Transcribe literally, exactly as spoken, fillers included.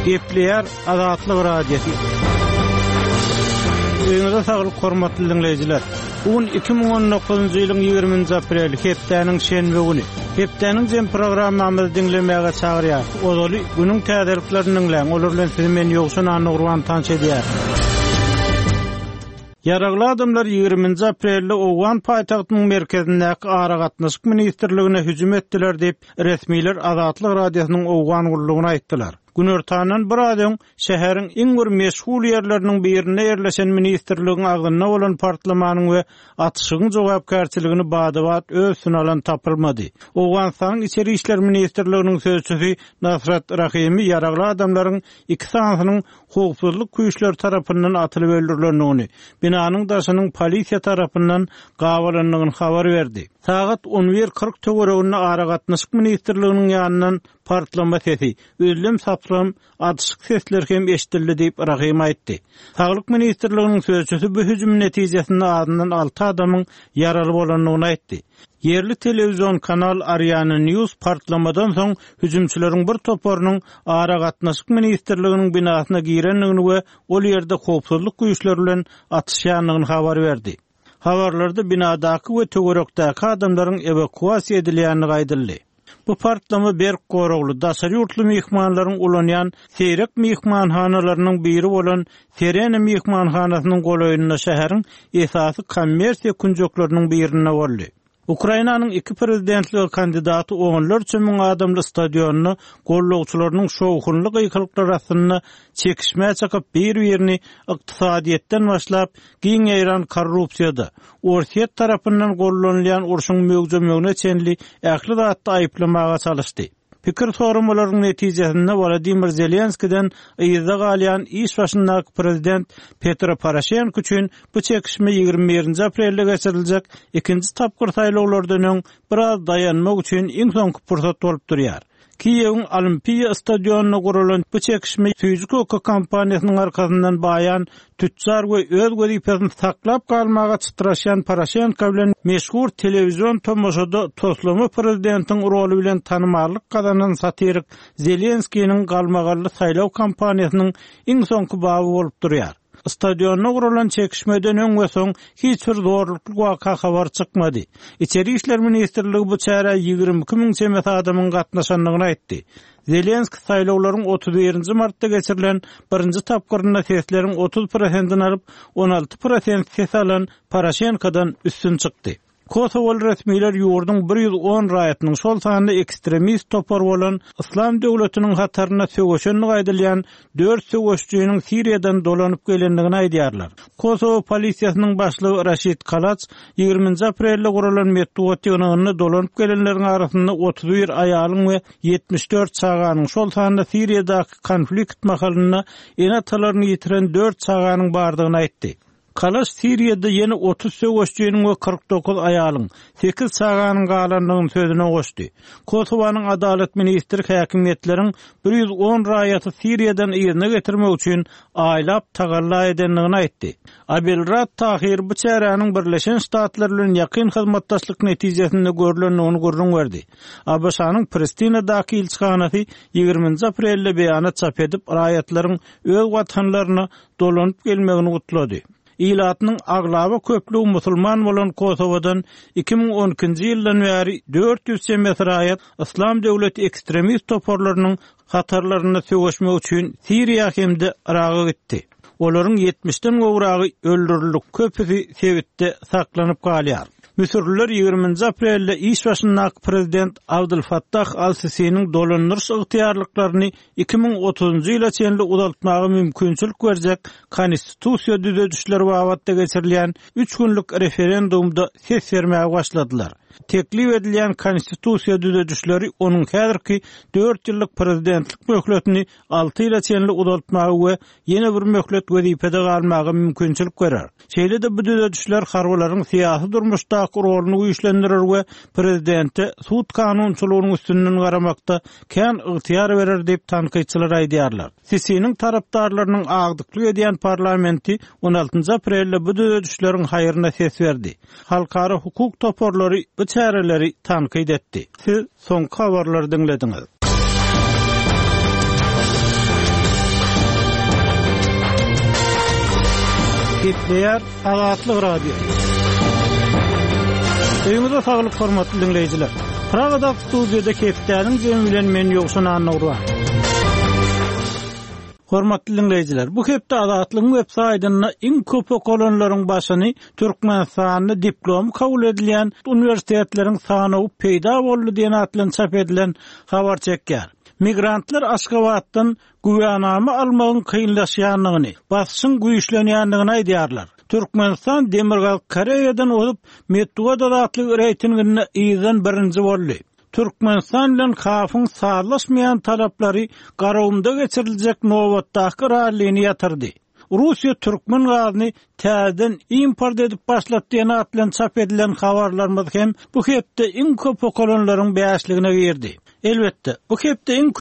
Gepleýär Azatlyk Radiosy. Öýüňize saglyk hormatly diňleýjiler. Bu gün iki müň on dokuzynjy ýylyň ýigriminji apreli, hepdäniň şenbe güni. Hepdäniň jem programmamyzy diňlemäge çagyrýar. Ozaly günüň täzeliklerini diňläň. Olar bilen sizi men Ýowşan Annagurban tanyş edýär. Ýaragly adamlar ýigriminji aprelde Owgan paýtagtynyň merkezindäki aragatnaşyk ministrligine hüjüm etdiler diýip, resmiler Azatlyk Radiosynyň Owgan gullugyna aýtdylar. Günortandan bir az öň şäheriň iň bir meşhur ýerleriniň birinde ýerleşen ministrligiň agzynda bolan partlamanyň we atyşygyň jogapkärçiligini badabat öz üstüne alan tapylmady. Owganystanyň Içeri İşler Ministrliginiň sözçüsi Nasrat Rahimi ýaragly adamlaryň iki sanysynyň howpsuzlyk güýçleri tarapyndan atylyp öldürilendigini, binanyň daşynyň polisiýa tarapyndan gabalandygyny habar berdi. Sagat on bir kyrk töwereginde aragatnaşyk ministrliginiň ýanyndan partlama sesi, özlem saplam atyşyk sesler hem eşidildi diýip Rahim aýtdy. Saglyk ministrliginiň sözçüsi bu hüjüm netijesinde azyndan alty adamyň ýaraly bolandygyny aýtdy. Ýerli telewizion kanal Ariana News partlamadan soň hüjümçileriň bir toparynyň aragatnaşyk ministrliginiň binasyna girendigini we ol ýerde howpsuzlyk güýçleri bilen atyşýandygyny habar berdi. Habarlarda binadaky we töwerekdäki adamlaryň ewakuasiýa edilýändigi aýdyldy. Bu partlama berk goragly daşary ýurtly myhmanlaryň ulanýan seýrek myhmanhanalarynyň biri bolan Serena myhmanhanasynyň golaýynda şäheriň esasy kommersiýa künjekleriniň birinde boldy. Ukrainanyň iki prezidentlige kandidaty onlarça müň adamly stadionda gollagçylarynyň şowhunly gykylyklary astynda çekişmä çykyp bir-birini ykdysadyýetden başlap giň ýaýran korrupsiýada, Orsýet tarapyndan gollanylýan urşuň möwjemegine çenli ähli zatda aýyplamaga çalyşdy. Pikir sorumalaryň netijesinde Wladimir Zelenskiden yzda galýan iş başyndaky prezident Petro Poroşenko üçin bu çekişme ýigrimi birinji aprelde geçiriljek ikinji tapgyr saýlawlardan öň biraz daýanmak üçin iň soňky pursat bolup durýar. Kiýewiň Olimpiýa stadionynda guralan bu çekişme süýji köke kompaniýasynyň arkasyndan baýan tütjar we öz wezipesini saklap galmaga çytraşýan Poroşenko bilen meşhur telewizion tomaşada toslama prezidentiň roly bilen tanymallyk gazanan satirik Zelenskiniň galmagally saýlaw kampaniýasynyň iň soňky baby bolup durýar. Stadionda guralan çekişmeden öň we soň hiç bir zorlukly waka habar çykmady. Içeri İşler Ministrligi bu çärä ýigrimi iki müň çemesi adamyň gatnaşandygyny aýtdy. Zelenski saýlawlaryň otuz birinji martda geçirilen birinji tapgyrynda sesleriň otuz prosentini alyp, on alty prosent ses alan Poroşenkodan üstün çykdy. Kosowaly resmiler ýurduň bir ýüz on raýatynyň şol sanda ekstremist topar bolan Islam döwletiniň hatarynda söweşenligi aýdylýan dört söweşçiniň Siriýadan dolanyp gelendigini aýdýarlar. Kosowa polisiýasynyň başlygy Raşid Kalaç ýigriminji aprelde guralan metbugat ýygnagynda dolanyp gelenleriň arasynda otuz bir aýalyň we ýetmiş dört çaganyň şol sanda Siriýadaky konflikt mahalynda ene-atalaryny ýitiren dört çaganyň bardygyny aýtdy. Kalaç Siriýada ýene otuz söweşçiniň we kyrk dokuz aýalyň, sekiz çaganyň galandygyny sözüne goşdy. Kosowanyň adalat ministri häkimiýetleriň bir ýüz on raýaty Siriýadan yzyna getirmek üçin aýlap tagalla edendigini aýtdy. Abelrad Tahir bu çäräniň Birleşen Ştatlar bilen ýakyn hyzmatdaşlyk netijesinde görülendigini gürrüň berdi. A B Ş-nyň Pristinadaky ilçihanasy ýigriminji aprelde beýanat çap edip, raýatlaryň öz watanlaryna dolanyp gelmegini gutlady. Ilatynyň aglaba köplügi musulman bolan Kosowadan iki müň on ikinji ýyldan bäri dört ýüz çemesi raýat Islam döwleti ekstremist toparlarynyň hatarlarynda söweşmek üçin Siriýa hem-de Yraga gitdi. Olaryň ýetmişden gowragy öldürildi, köpüsi sebitde saklanyp galýar. Müsürliler ýigriminji aprelde iş başyndaky prezident Abdülfattah Al-Sisiniň dolandyryş ygtyýarlyklaryny iki müň otuzunjy ýyla çenli uzaltmaga mümkinçilik berjek konstitusiýa düzedişleri babatda geçirilýän üç günlük referendumda ses bermäge başladylar. Teklip edilýän konstitusiýa düzedişleri onuň häzirki dört ýyllyk prezidentlik möhletini alty ýyla çenli uzaltmaga we ýene bir möhlet wezipede galmaga mümkinçilik berer. Şeýle-de bu düzedişler harbylaryň syýasy durmuşdaky roluny güýçlendirir we prezidente sud kanunçylygynyň üstünden garamakda kän ygtyýar berer diýip tankytçylar aýdýarlar. Sisiniň tarapdarlarynyň agdyklyk edýän parlamenti on altynjy aprelde bu düzedişleriň haýryna ses berdi. Halkara hukuk toparlary bu çäreleri tankyt etdi. Siz soňky habarlary diňlediňiz. Gepleýär Azatlyk Radiosy. Öýüňize saglyk hormatly diňleýjiler. Pragadaky studiýada hepdäniň jemi bilen men Ýowşan Annagurban. Hormatly diňleýjiler, bu hepde Azatlygyň web saýtynda iň köp okalanlaryň başyny Türkmenistanda diplomy kabul edilýän uniwersitetleriň sanawy peýda boldy diýen at bilen çap edilen habar çekýär. Migrantlar Aşgabatdan güwänama almagyň kynlaşýandygyny, basyşyň güýçlenýändigini aýdýarlar. Türkmenistan Demirgazyk Koreýadan ozup, metbugat azatlygy reýtinginde yzdan birinji boldy. Türkmenistan bilen KAF-yň sazlaşmaýan talaplary Garagumda geçiriljek nobatdaky rallini ýatyrdy. Russiýa türkmen gazyny täzeden import edip başlady diýen at bilen çap edilen habarlarymyz hem bu hepde iň köp okalanlaryň bäşligine girdi. Elbetde, bu hepde iň